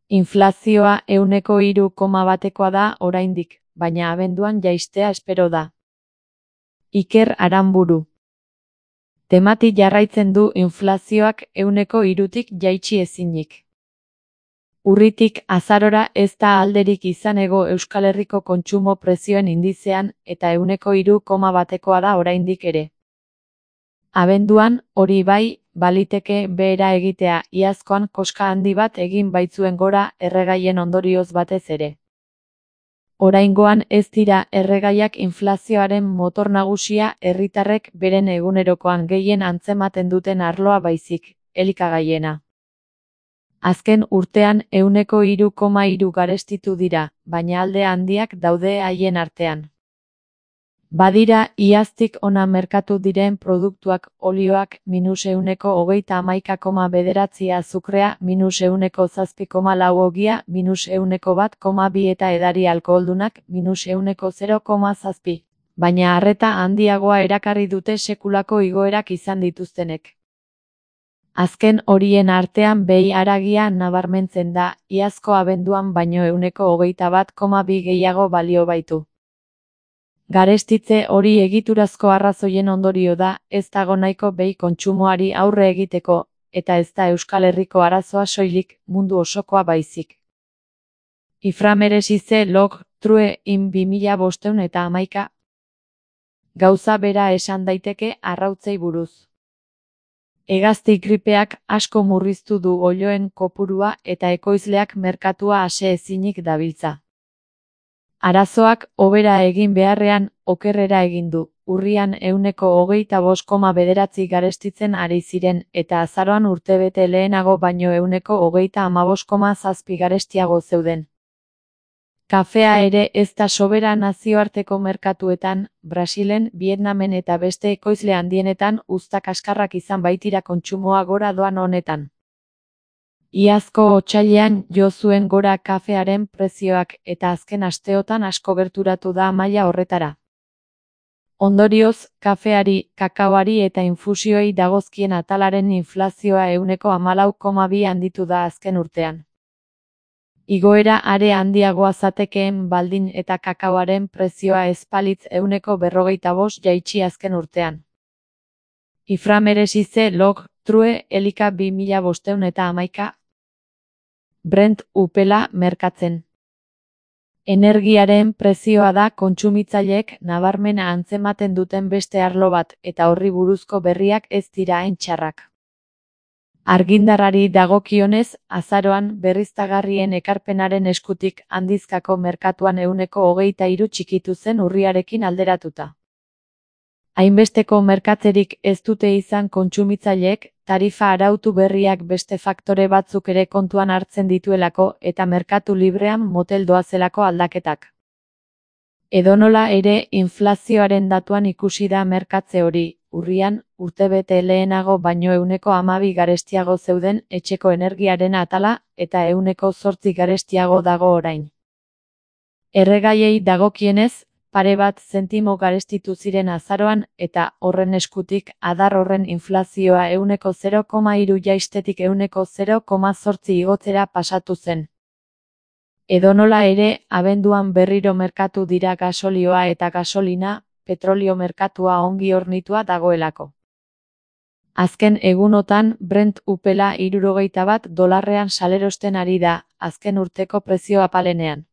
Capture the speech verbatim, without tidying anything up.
Inflazioa ehuneko hiru koma batekoa da oraindik, baina abenduan jaistea espero da. Iker Aranburu. Temati jarraitzen du inflazioak ehuneko hirutik jaitsi ezinik. Urritik azarora ez da alderik izan hego Euskal Herriko kontsumo prezioen indizean eta ehuneko hiru koma batekoa da oraindik ere. Abenduan, hori bai, baliteke behera egitea, iazkoan koska handi bat egin baitzuen gora erregaien ondorioz batez ere. Oraingoan ez dira erregaiak inflazioaren motor nagusia herritarrek beren egunerokoan gehien antzematen duten arloa baizik, elikagaiena. Azken urtean ehuneko hiru koma hiru garestitu dira, baina alde handiak daude haien artean. Badira, iaztik ona merkatu diren produktuak olioak minus ehuneko hogeita hamaika koma bederatzi azukrea, minus ehuneko zazpi koma lau ogia, minus ehuneko bat koma bi eta edari alkoholdunak, minus ehuneko zero koma zazpi. Baina arreta handiagoa erakarri dute sekulako igoerak izan dituztenek. Azken horien artean behi haragia nabarmentzen da, iazko abenduan baino ehuneko hogeita bat koma bi gehiago balio baitu. Garestitze hori egiturazko arrazoien ondorio da, ez dago nahiko behi kontsumoari aurre egiteko, eta ez da Euskal Herriko arazoa soilik, mundu osokoa baizik. Iframeresize log, true, in bi mila bostehun eta hamaika. Gauza bera esan daiteke arrautzei buruz. Hegazti gripeak asko murriztu du oiloen kopurua eta ekoizleak merkatua ase ezinik dabiltza. Arazoak hobera egin beharrean okerrera egin du, urrian ehuneko hogeita bost koma bederatzi garestitzen ari ziren eta azaroan urtebete lehenago baino ehuneko hogeita hamabost koma zazpi garestiago zeuden. Kafea ere ez da sobera nazioarteko merkatuetan, Brasilen, Vietnamen eta beste ekoizle handienetan uzta kaskarrak izan baitira kontsumoa gora doan honetan. Iazko otsailean jo zuen gora kafearen prezioak eta azken asteotan asko gerturatu da maila horretara. Ondorioz, kafeari, kakaoari eta infusioei dagozkien atalaren inflazioa ehuneko hamalau koma bi handitu da azken urtean. Igoera are handiagoa zatekeen baldin eta kakaoaren prezioa ezpalitz ehuneko berrogeita bost jaitsi azken urtean. Iframeresize log, true, elika bi mila bostehun eta hamaika. Brent upela merkatzen. Energiaren prezioa da kontsumitzaileek nabarmena antzematen duten beste arlo bat eta horri buruzko berriak ez dira hain txarrak. Argindarrari dagokionez, azaroan berriztagarrien ekarpenaren eskutik handizkako merkatuan ehuneko hogeita hiru txikitu zen urriarekin alderatuta. Hainbesteko merkatzerik ez dute izan kontsumitzaileek, tarifa arautu berriak beste faktore batzuk ere kontuan hartzen dituelako eta merkatu librean motel doazelako aldaketak. Edonola ere, inflazioaren datuan ikusi da merkatze hori, urrian, urtebete lehenago baino ehuneko hamabi garestiago zeuden etxeko energiaren atala eta ehuneko zortzi garestiago dago orain. Erregaiei dagokienez, pare bat zentimo garestitu ziren azaroan eta horren eskutik adar horren inflazioa ehuneko zero koma hiru jaistetik ehuneko zero koma zortzi igotzera pasatu zen. Edonola ere, abenduan berriro merkatu dira gasolioa eta gasolina, petrolio merkatua ongi hornitua dagoelako. Azken egunotan Brent upela hirurogeita bat dolarrean salerosten ari da, azken urteko prezio apalenean.